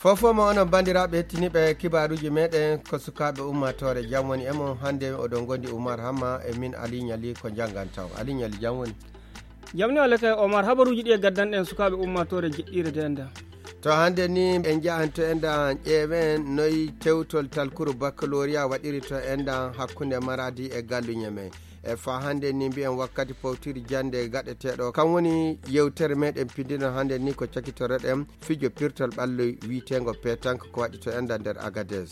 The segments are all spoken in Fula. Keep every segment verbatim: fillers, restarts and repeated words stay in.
Fofo ma onon banndiraaɓe hettiniiɓe kibaaruuji meɗen, ko sukaaɓe ummaatoore, jam woni e mon. Hannde oɗon ngondi Umar Hamma e min Ali Ñali, ko njanngan taw. Ali Ñali, jam woni? Jam ni walla kay Omar, habaruuji ɗi e gaddanɗen sukaaɓe ummaatoore jeɗɗiire de enda. To hannde ni en njahan to enda, ƴeewen noy tewtol talkuru baccalauréat waɗiri to enda hakkunde Maradi e Gallu Ñeme. E fa hannde ni mbiyen wakkati powtiri jannde gaɗeteeɗo. Kam woni yewtere meɗen pindino hannde ni ko cakitoroɗen fijo pirtol ɓallo wiitengo pétanque ko waɗi to enda nder Agadez.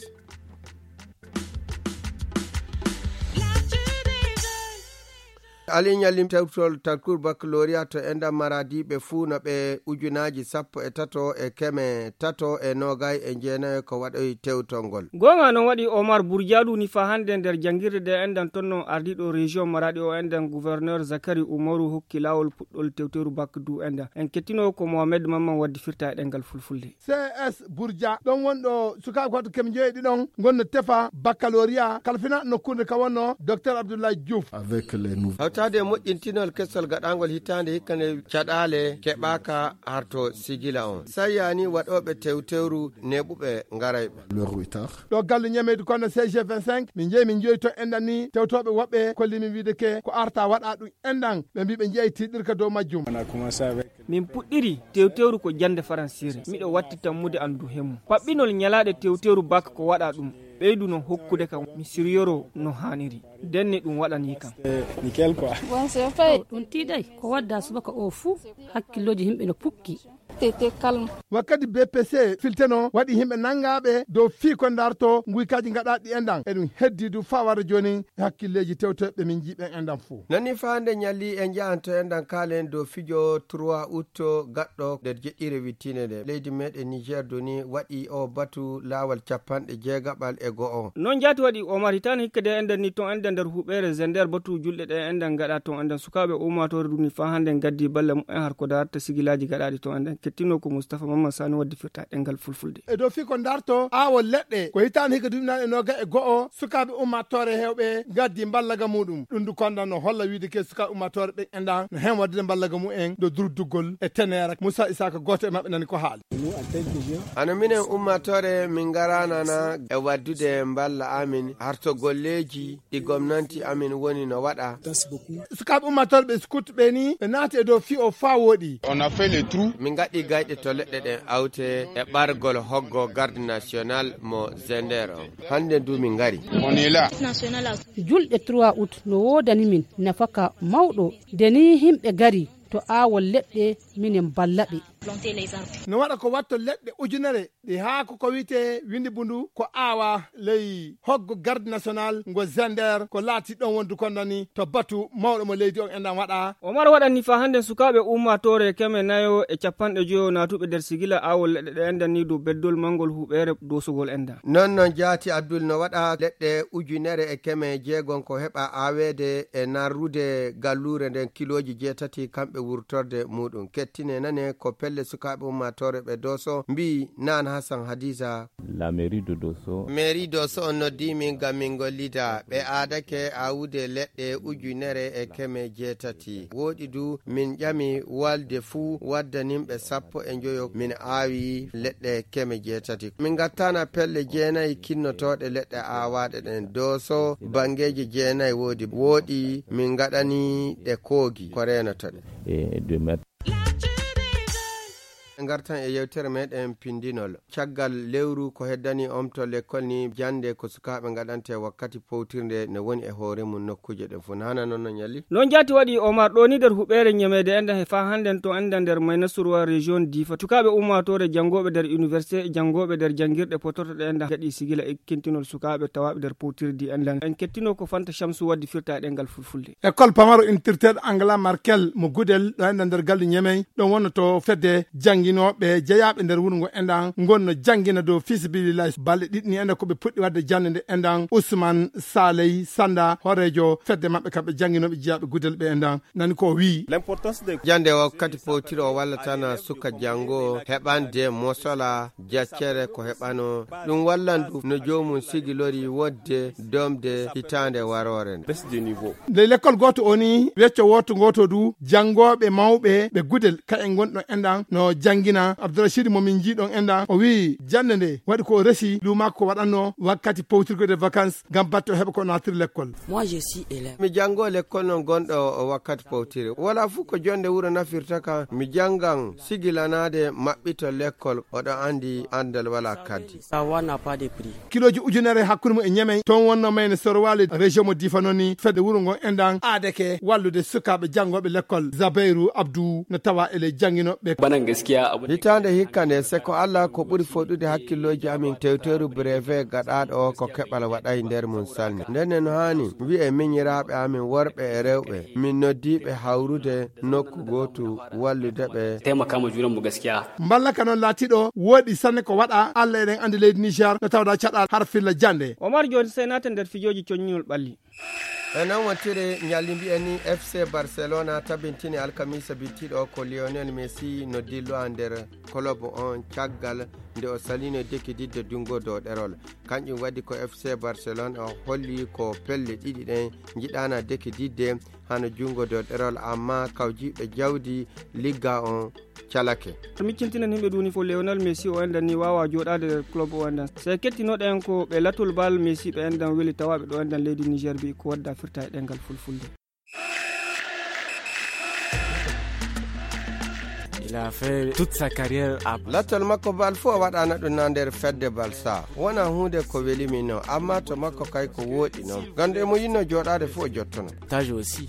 Ali Ñalli, tewtol talkuru baccalauréat to enda Maradi ɓe fuu no ɓe ujunaaji sappo e tato e keme tato e noogay e jeenayo ko waɗoyi tewtol ngol. Goonga noon waɗi Omar Burjaadu ni fa hannde nder janngirde de endan toon no ardiiɗo région Maradi o endan gouverneur Zakari Umaru hokki laawol puɗɗol tewteru bac du endan. En kettino ko Mohamed Mamman waddi firta e ɗemngal fulfulde. C S Burja, ɗon wonɗo sukaaɓe ko waɗi keme njoyi ɗiɗon ngonno tefa baccalauréat kalfina nokkuure ka wonno Docteur Abdoulaye Diouf. Avec les nouveaux. Hawtaade e moƴƴintinol kesol gaɗaangol hitaande hikka nde caɗaale keɓaaka harto sigila on. Sayaani waɗooɓe tewtewru neeɓuɓe ngarayɓe. Leur retard. Ɗo Gallu Ñameydu kono C G vingt-cinq, min njeyi min njoyi to enɗan ni tewtooɓe woɓɓe kolli min wiide ke ko arta waɗa ɗum enɗan. Ɓe mbi ɓe njeyi tiiɗirka dow majjum. On a commencé avec. Min puɗɗiri tewtewru ko jannde faransiire. Miɗo watti tammude anndu hemmu. Paɓɓinol ñalaaɗe tewtewru bak ko waɗa ɗum. Ɓeydu no hokkude kam mi siryoro no haaniri. Denne ɗum waɗanii kam. C'est nickel quoi. Bon, c'est fait. Ɗum tiiɗay ko wadda subaka o fuu. Hakkillooji yimɓe no pukki. Tete calme. Wakkati B P C filteno waɗi yimɓe nangaaɓe dow fii ko ndarto nguykaaji gaɗaaɗi enɗan. Eɗum heddi du faa wara jooni e hakkilleeji tewtoyɓe min njiiɓen enɗan fof. Nani faande ñalli e njahanto enɗan kaalen dow fijo trois août gaɗɗo nder jeɗɗire wittinde nde. Leydi meɗen Niger duni waɗi o batu laawol capanɗe jeegaɓal e go'o. Noon jaati waɗi Omar hitaande hikka de enɗan ni toon enɗan nder huɓeere Zender batu julɗe ɗe enɗan gaɗa toon enɗan sukaaɓe ummaatoore duni faa hannde ngaddi balle mumen har ko darta sigilaaji gaɗaaɗi toon enɗan kettino ko Moustapha Mamman Sani waddi firta ɗemngal fulfulde. E dow fii ko ndarto aawo leɗɗe ko hitaande hikka duuɓi naaɗe nooga e go'o sukaaɓe ummaatoore heewɓe ngaddi mballaga muɗum. Ɗum du konda no holla wiide ke sukaaɓe ummaatoore ɓe enɗan no heen waddude mballaga mumen dow durduggol e teneera. Moussa Issaka gooto e maɓɓe nani ko haali. Ano minen ummaatoore min ngaranana e waddude mballa amin harto golleeji ɗi gomnanti amin woni no waɗa. Sukaaɓe ummaatoore ɓe scout ɓe ni ɓe naati e dow fii o faa wooɗi. On a fait le trou. Min ngaɗi gayɗe to leɗɗe ɗen awte e ɓargol hoggo garde national mo Zender on. Hannde du min ngari. On est là. Julɗe trois août no woodani min nafaka mawɗo. Nde ni yimɓe ngari to aawol leɗɗe minen mballa ɓe. No waɗa ko watto leɗɗe ujunere ɗi haa ko ko wiyetee winndi bundu ko aawa ley hoggo garde national ngo Zender ko laati ɗon wondu kondani to batu mawɗo mo leydi on enɗan waɗa. Omar waɗani faa hannde sukaaɓe ummaatoore keme nayo e capanɗe joyo naatuɓe nder sigila aawol leɗɗe ɗe enɗan ni dow beddol manngol huɓeere doosugol enɗan. Noon noon jaati Abdul no waɗa leɗɗe ujunere e keme jeegon ko heɓa aaweede e narrude galluure nden kilooji jeetati kamɓe wurtorde muɗum. Kettine nane ko pelle sukaaɓe ummaatoore ɓe dooso mbii naan Hassan Hadiza. La mairie de Dosso. Mairie Dosso on noddi min ngam min ngollida. Ɓe aadake aawude leɗɗe ujunere e keme jeetati. Wooɗi du min ƴami walde fuu waddanimɓe sappo e njoyo min aawi leɗɗe keme jeetati. Min ngattana pelle jeenayi kinnotooɗe leɗɗe aawaaɗe ɗen. Dooso banngeeji jeenayi woodi. Wooɗi min ngaɗani ɗe koogi ko reenotoɗe. Et de mettre. En ngartan e yewtere meɗen pindinol. Caggal lewru ko heddani omto lekkol ni jannde ko sukaaɓe ngaɗante wakkati powtirnde ne woni e hoore mum nokkuuje ɗen fof. Nana noon no ñalli. Noon jaati waɗi Omar ɗo ni nder huɓeere ñameede enɗan he faa hannden to enɗan nder Maynasurwa région Difa. Sukaaɓe ummaatoore janngooɓe nder université e janngooɓe nder janngirɗe potortoɗe enɗan gaɗi sigila e kintinol sukaaɓe tawaaɓe nder powtirdi enɗan. En kettino ko Fanta Shamsu waddi firta e ɗemngal fulfulde. École pamaro intirteeɗo Angela Merkel mo Gudel ɗo enɗan nder galle Ñemey. Ɗon wonno to fedde jannginooɓe jeyaaɓe nder wuro ngo enɗan ngonno janngina dow fii sabilillahi balɗe ɗiɗi ni enɗan ko ɓe puɗɗi waɗde jannde nde enɗan Ousmane Saley Sanda horeejo fedde maɓɓe kamɓe jannginooɓe jeyaaɓe Gudel ɓe enɗan nani ko o wiyi. L'importance de jannde wakkati powtiri o wallata na suka janngo heɓande mosola jaccere ko heɓano ɗum wallan ɗum no joomum sigilori wonde domde hitaande waroore nde. Baisse de niveau. Ley lekkol gooto o ni wecco wooto ngooto du janngooɓe mawɓe ɓe Gudel ka en ngonɗo enɗan no janngi Ngina Abdourachid mo min njiiɗon enɗan, o wi'i jannde nde waɗi ko o resi luumaako ko waɗanno wakkati powtirgo de vacances ngam batte o heɓa ko naatiri lekkol. Moi, je suis élève. Mi janngo lekkol non gonɗo o wakkati powtiri. Wala fuu ko jonde wuro nafirta ka, mi janngan sigilanaade maɓɓito lekkol, oɗo anndi anndal wala kaddi. Savoir n'a pas de prix. Kilooji ujunere hakkunde mum e Ñamey, toon wonno mayne Sorowali, région mo Difa noon ni, fedde wuro ngon enɗan aadeke wallude sukaaɓe janngooɓe lekkol. Zabairu Abdu no tawa e ley jannginoɓe. Banan gaskiya abu. Hitaande hikka nde, se ko Allah ko ɓuri foɗude hakkillooji amin, tewteeru brevet gaɗaaɗo o ko keɓal waɗay nder mum salmi. Ndenne no haani wi'e miñiraaɓe amin worɓe e rewɓe, min noddiiɓe hawrude nokku gootu wallude ɓe. Taimaka ma junanmu gaskiya. Mballa ka noon laatiiɗo wooɗi sanne ko waɗa, Allah eɗen anndi leydi Niger no tawda caɗal har filla jannde. Omar, jooni sey naaten nder fijooji coññinol ɓalli. E noon wontiri ñalli mbiyen ni, F C Barcelona tabintini alkamiisa bittiɗo ko Lionel Messi no dillo nder club on caggal nde o salino dekididde junngo dow ɗerol. Kanƴum waɗi ko F C Barcelona o holli ko pelle ɗiɗi ɗen njiɗaana dekididde hano junngo dow ɗerol, amma kawjiiɓe jawdi ligga on calake. Miccintinen himɓe duni fof, Lionel Messi o enɗan ni waawa jooɗaade nder club o enɗan. Se kettinoɗen ko ɓe latol bal Messi ɓe enɗan weli tawa ɓe ɗo enɗan leydi Niger bi ko wadda firta e ɗengal fulfulde. Il a fait toute sa carrière à Lattol makko bal fof o waɗaano ɗum na nder fedde bal sa. Wona huunde ko weli min non, amma to makko kay ko wooɗi non. Ganndo emo yinno jooɗaade fof o jottono. Tâche aussi.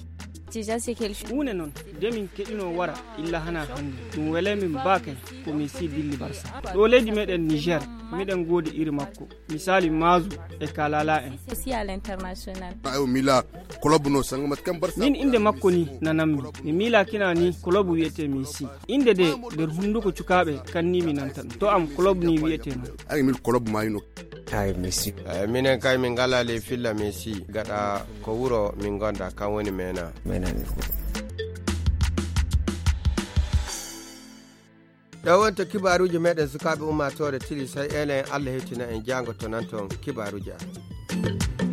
Déjà, c'est quelque chose. Huunde noon, de min keɗino wara, illa hana hannde. Ɗum wele min baake, ko min si dilli Barça. Ɗo leydi meɗen Niger, miɗen goodi iri makko. Misali Mazu e Kalala en. Aussi à l'international. Ayo mila, club no sanga mat kam Barça. Min inde makko ni nanammi. Mi mila kina ni club wiyete Messi. Inde de nder hunduko cukaaɓe kan ni mi nanta ɗum. To am club ni wiyete non. Ay mil club mayno. Ay Messi. Eh, minen kay min ngala le filla Messi. Gaɗa ko wuro min gonda kan woni mena. Mena ni. Ɗo wonto kibaaruuji meɗen sukaaɓe ummaatoore tili, sey enen Allah hewtina en jaango to nan toon kibaaruuji amen.